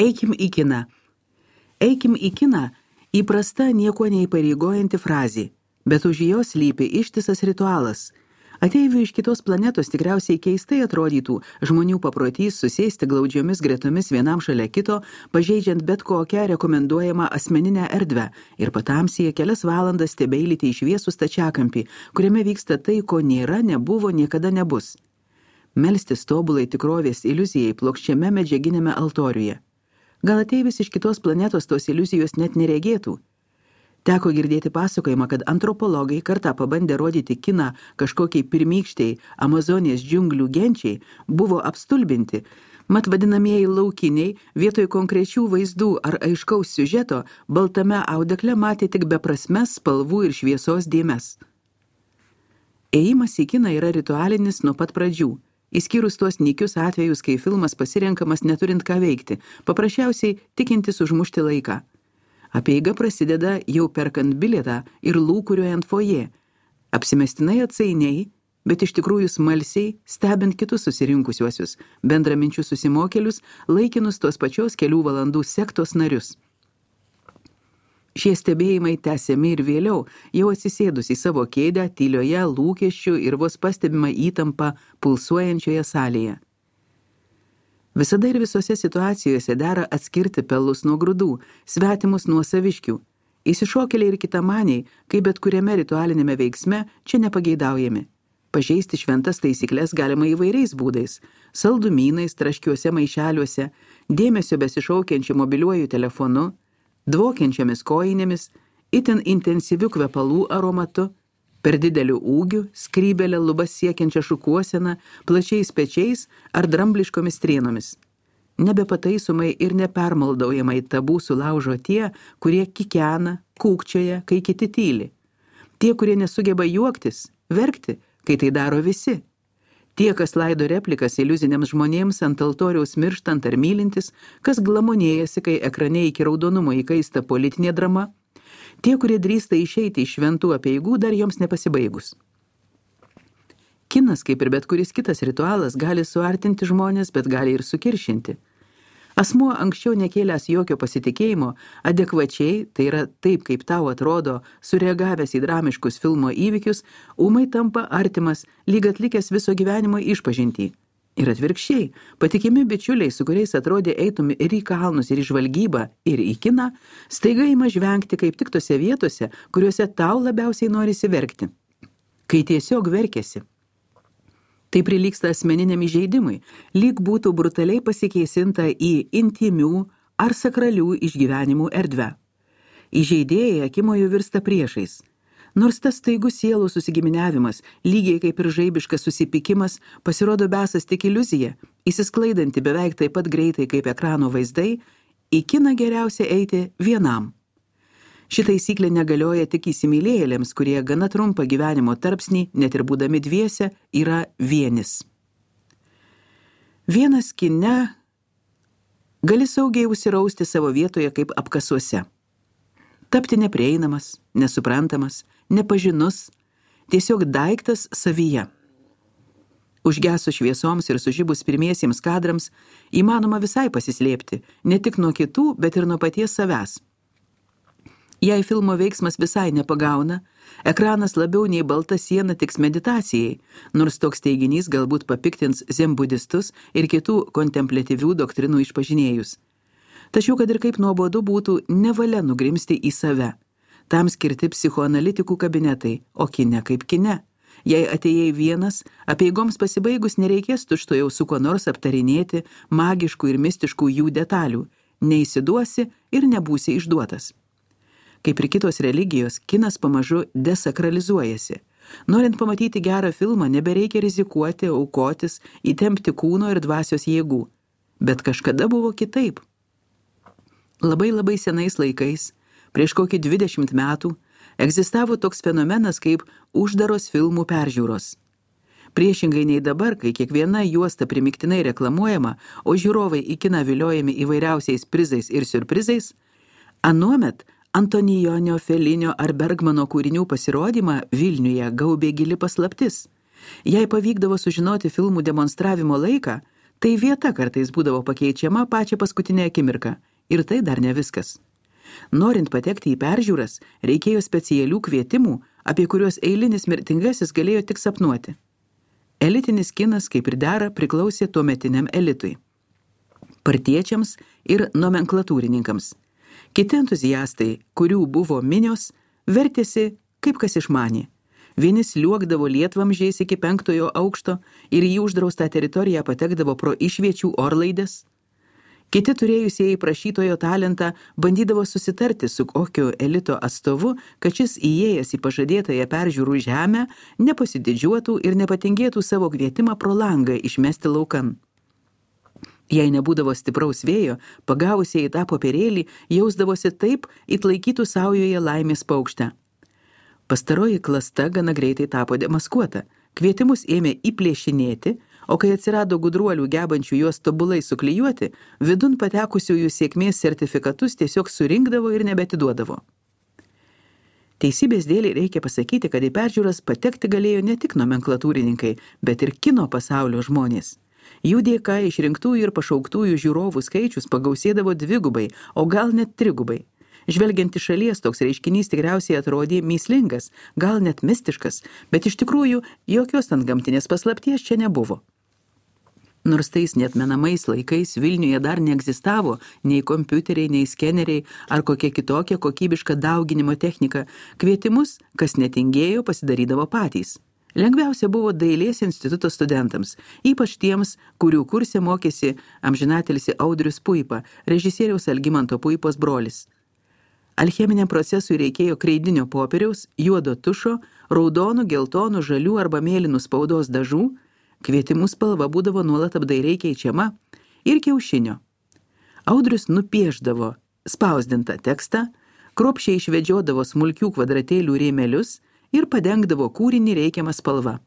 Eikim į kiną. Eikim į kiną įprasta nieko neįpareigojanti frazė, bet už jos slypi ištisas ritualas. Ateivių iš kitos planetos tikriausiai keistai atrodytų žmonių paprotys susėsti glaudžiomis gretomis vienam šalia kito, pažeidžiant bet kokią rekomenduojamą asmeninę erdvę ir patamsyje kelias valandas stebeilyti į šviesų stačiakampį, kuriame vyksta tai, ko nėra, nebuvo, niekada nebus. Melstis tobulai tikrovės iliuzijai plokščiame medžiaginėme altoriuje. Gal ateivis iš kitos planetos tos iliuzijos net neregėtų? Teko girdėti pasakojimą, kad antropologai kartą pabandę rodyti kiną kažkokiai pirmykščiai Amazonės džiunglių genčiai, buvo apstulbinti, mat vadinamieji laukiniai vietoj konkrečių vaizdų ar aiškaus siužeto baltame audekle matė tik beprasmes spalvų ir šviesos dėmes. Ėjimas į kiną yra ritualinis nuo pat pradžių, išskyrus tuos nykius atvejus, kai filmas pasirenkamas neturint ką veikti, paprasčiausiai tikintis užmušti laiką. Apeiga prasideda jau perkant bilietą ir lūkuriuojant foje, apsimestinai atsainiai, bet iš tikrųjų smalsiai, stebint kitus susirinkusiuosius, bendraminčius susimokėlius, laikinus tos pačios kelių valandų sektos narius. Šie stebėjimai tęsiami ir vėliau, jau atsisėdus į savo kėdę, tylioje, lūkesčių ir vos pastebimą įtampą pulsuojančioje salėje. Visada ir visose situacijose dera atskirti pelus nuo grūdų, svetimus nuo saviškių. Įsišokėliai ir kitamaniai, kaip bet kuriame ritualinėme veiksme, čia nepageidaujami. Pažeisti šventas taisyklės galima įvairiais būdais – saldumynais, traškiuose maišeliuose, dėmesio besišaukiančiu mobiliuoju telefonu, dvokiančiamis kojinėmis, itin intensyviu kvepalų aromatu, per dideliu ūgiu, skrybelę lubas siekiančią šukuoseną, plačiais pečiais ar drambliškomis strėnomis. Nebepataisomai ir nepermaldaujamai tabų sulaužo tie, kurie kikena, kūkčioja, kai kiti tyli. Tie, kurie nesugeba juoktis, verkti, kai tai daro visi. Tie, kas laido replikas iliuziniams žmonėms ant altoriaus mirštant ar mylintis, kas glamonėjasi, kai ekrane iki raudonumo įkaista politinė drama, tie, kurie drįsta išeiti iš šventų apeigų dar joms nepasibaigus. Kinas, kaip ir bet kuris kitas ritualas, gali suartinti žmonės, bet gali ir sukiršinti. Asmuo anksčiau nekėlęs jokio pasitikėjimo, adekvačiai, tai yra taip, kaip tau atrodo, sureagavęs į dramiškus filmo įvykius, ūmai tampa artimas, lyg atlikęs viso gyvenimo išpažintį. Ir atvirkščiai, patikimi bičiuliai, su kuriais atrodė eitum ir į kalnus, ir į žvalgybą, ir į kiną, staiga ima žvengti kaip tik tose vietose, kuriuose tau labiausiai norisi verkti. Kai tiesiog verkėsi. Tai prilygsta asmeniniam įžeidimui, lyg būtų brutaliai pasikeisinta į intimių ar sakralių išgyvenimų erdvę. Įžeidėjai akimojo virsta priešais. Nors tas staigus sielų susigiminiavimas, lygiai kaip ir žaibiškas susipykimas, pasirodo besas tik iliuzija, įsisklaidanti beveik taip pat greitai kaip ekrano vaizdai, į kiną geriausia eiti vienam. Ši taisyklė negalioja tik įsimylėjėliams, kurie gana trumpą gyvenimo tarpsnį, net ir būdami dviese, yra vienis. Vienas kine gali saugiai užsirausti savo vietoje kaip apkasuose. Tapti neprieinamas, nesuprantamas, nepažinus, tiesiog daiktas savyje. Užgesus šviesoms ir sužibus pirmiesiems kadrams, įmanoma visai pasislėpti, ne tik nuo kitų, bet ir nuo paties savęs. Jei filmo veiksmas visai nepagauna, ekranas labiau nei balta siena tiks meditacijai, nors toks teiginys galbūt papiktins zenbudistus ir kitų kontempliatyvių doktrinų išpažinėjus. Tačiau, kad ir kaip nuobodu būtų, nevalia nugrimsti į save. Tam skirti psichoanalitikų kabinetai, o kine kaip kine. Jei atėjai vienas, apeigoms pasibaigus nereikės tučtuojau su kuo nors aptarinėti magiškų ir mistiškų jų detalių, neįsiduosi ir nebūsi išduotas. Kaip ir kitos religijos, kinas pamažu desakralizuojasi. Norint pamatyti gerą filmą, nebereikia rizikuoti, aukotis, įtempti kūno ir dvasios jėgų. Bet kažkada buvo kitaip. Labai senais laikais, prieš kokį 20 metų, egzistavo toks fenomenas kaip uždaros filmų peržiūros. Priešingai nei dabar, kai kiekviena juosta primiktinai reklamuojama, o žiūrovai į kiną viliojami įvairiausiais prizais ir siurprizais, anuomet Antonijonio, Felinio ar Bergmano kūrinių pasirodymą Vilniuje gaubė gili paslaptis. Jei pavykdavo sužinoti filmų demonstravimo laiką, Tai vieta kartais būdavo pakeičiama pačią paskutinę akimirką. Ir tai dar ne viskas. Norint patekti į peržiūras, reikėjo specialių kvietimų, apie kuriuos eilinis mirtingasis galėjo tik sapnuoti. Elitinis kinas, kaip ir dera, priklausė tuometiniam elitui. Partiečiams ir nomenklatūrininkams. Kiti entuziastai, kurių buvo minios, vertėsi kaip kas išmanė. Vieni sliuogdavo lietvamžiais iki 5 aukšto ir į uždraustą teritoriją patekdavo pro išviečių orlaides. Kiti turėjusieji prašytojo talentą bandydavo susitarti su kokiu elito atstovu, kad šis įėjęs į pažadėtąją peržiūrų žemę nepasididžiuotų ir nepatingėtų savo kvietimą pro langą išmesti laukan. Jei nebūdavo stipraus vėjo, pagavusieji tą popierėlį jausdavosi taip, it laikytų saujoje laimės paukštę. Pastaroji klasta gana greitai tapo demaskuota. Kvietimus ėmė įplėšinėti, o kai atsirado gudruolių gebančių juos tobulai suklijuoti, vidun patekusiųjų sėkmės sertifikatus tiesiog surinkdavo ir nebetiduodavo. Teisybės dėlei reikia pasakyti, kad į peržiūras patekti galėjo ne tik nomenklatūrininkai, bet ir kino pasaulio žmonės. Jų dėka išrinktųjų ir pašauktųjų žiūrovų skaičius pagausėdavo 2, o gal net 3. Žvelgiant iš šalies, toks reiškinys tikriausiai atrodė mįslingas, gal net mistiškas, bet iš tikrųjų jokios antgamtinės paslapties čia nebuvo. Nors tais neatmenamais laikais Vilniuje dar neegzistavo nei kompiuteriai, nei skeneriai ar kokia kitokia kokybiška dauginimo technika, kvietimus, kas netingėjo, pasidarydavo patys. Lengviausia buvo Dailės instituto studentams, ypač tiems, kurių kurse mokėsi amžinatilsi Audrius Puipa, režisieriaus Algimanto Puipos brolis. Alcheminiam procesui reikėjo kreidinio popieriaus, juodo tušo, raudonų, geltonų, žalių arba mėlynų spaudos dažų, kvietimų spalva būdavo nuolat apdairiai keičiama ir kiaušinio. Audrius nupieždavo spausdintą tekstą, kruopščiai išvedžiodavo smulkių kvadratėlių rėmelius ir padengdavo kūrinį reikiamą spalvą.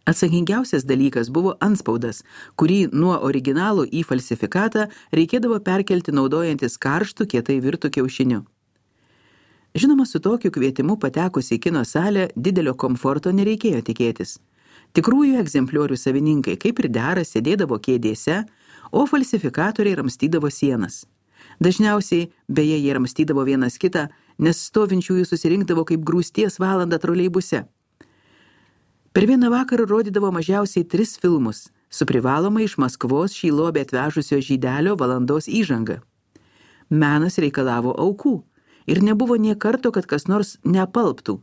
Atsakingiausias dalykas buvo antspaudas, kurį nuo originalo į falsifikatą reikėdavo perkelti naudojantis karštų kietai virtų kiaušiniu. Žinoma, su tokiu kvietimu patekus į kino salę didelio komforto nereikėjo tikėtis. Tikrųjų egzempliorių savininkai, kaip ir dera, sėdėdavo kėdėse, o falsifikatoriai ramstydavo sienas. Dažniausiai, beje, jie ramstydavo vienas kitą, nes stovinčiųjų susirinkdavo kaip grūsties valandą troleibuse. Per vieną vakarą rodydavo mažiausiai 3 filmus, su privaloma iš Maskvos šį lobį atvežusio žydelio valandos įžanga. Menas reikalavo aukų ir nebuvo nė karto, kad kas nors neapalptų.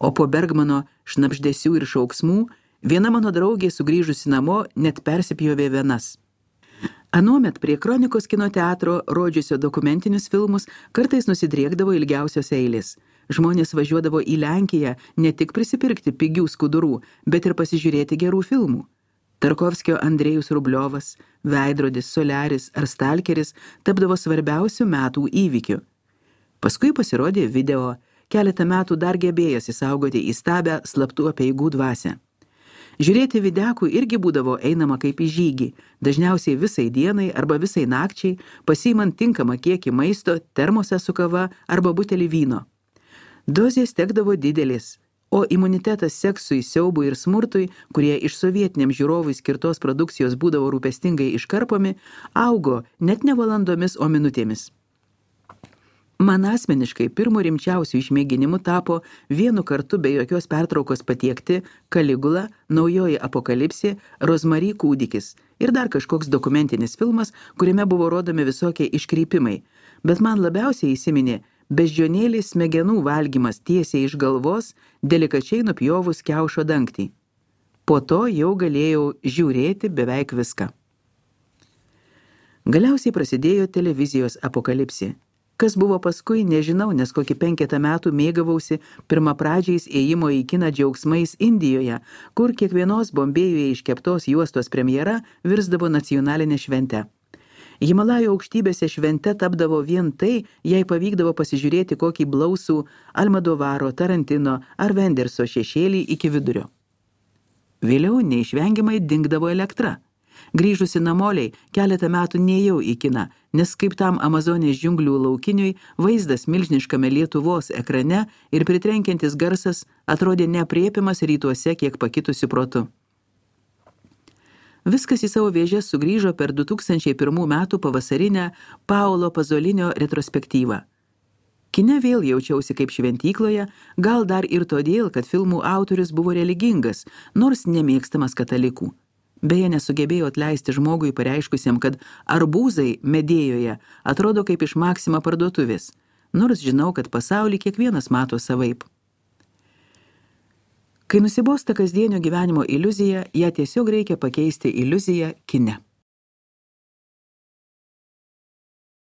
O po Bergmano šnabždesių ir šauksmų viena mano draugė sugrįžusi namo net persipjovė venas. Anuomet prie Kronikos kino teatro rodžiusio dokumentinius filmus kartais nusidriekdavo ilgiausios eilės. Žmonės važiuodavo į Lenkiją ne tik prisipirkti pigių skudurų, bet ir pasižiūrėti gerų filmų. Tarkovskio Andrejus Rubliovas, Veidrodis, Soliaris ar Stalkeris tapdavo svarbiausių metų įvykių. Paskui pasirodė video, keletą metų dar gebėjęs įsaugoti įstabę slaptų apeigų dvasią. Žiūrėti videkų irgi būdavo einama kaip į žygį, dažniausiai visai dienai arba visai nakčiai, pasiimant tinkamą kiekį maisto, termosą su kava arba butelį vyno. Dozės tekdavo didelis, o imunitetas seksui, siaubui ir smurtui, kurie iš sovietiniam žiūrovui skirtos produkcijos būdavo rūpestingai iškarpomi, augo net ne valandomis, o minutėmis. Man asmeniškai pirmu rimčiausiu išmėginimu tapo vienu kartu be jokios pertraukos patiekti Kaligula, Naujoji apokalipsė, Rozmary kūdikis ir dar kažkoks dokumentinis filmas, kuriame buvo rodomi visokie iškreipimai, bet man labiausiai įsiminė beždžionėlės smegenų valgymas tiesiai iš galvos, delikačiai nupjovus kiaušo dangtį. Po to jau galėjau žiūrėti beveik viską. Galiausiai prasidėjo televizijos apokalipsė. Kas buvo paskui, nežinau, nes kokį 5 metų mėgavausi pirmapradžiais ėjimo į kiną džiaugsmais Indijoje, kur kiekvienos Bombėjuje iškeptos juostos premjera virsdavo nacionalinė švente. Himalajų aukštybėse švente tapdavo vien tai, jei pavykdavo pasižiūrėti kokį blausų Almadovaro, Tarantino ar Venderso šešėlį iki vidurio. Vėliau neišvengiamai dingdavo elektra. Grįžusi namoliai, keletą metų nėjau į kiną, nes kaip tam Amazonės džiunglių laukiniui, vaizdas milžiniškame Lietuvos ekrane ir pritrenkiantis garsas atrodė neaprėpiamas rytuose kiek pakitusiu protu. Viskas į savo vėžes sugrįžo per 2001 metų pavasarinę Paolo Pazolinio retrospektyvą. Kine vėl jaučiausi kaip šventykloje, gal dar ir todėl, kad filmų autorius buvo religingas, nors nemėgstamas katalikų. Beje, nesugebėjo atleisti žmogui pareiškusiam, kad arbūzai Medėjoje atrodo kaip iš Maxima parduotuvės, nors žinau, kad pasaulį kiekvienas mato savaip. Kai nusibosta kasdienio gyvenimo iliuzija, ją tiesiog reikia pakeisti iliuziją kine.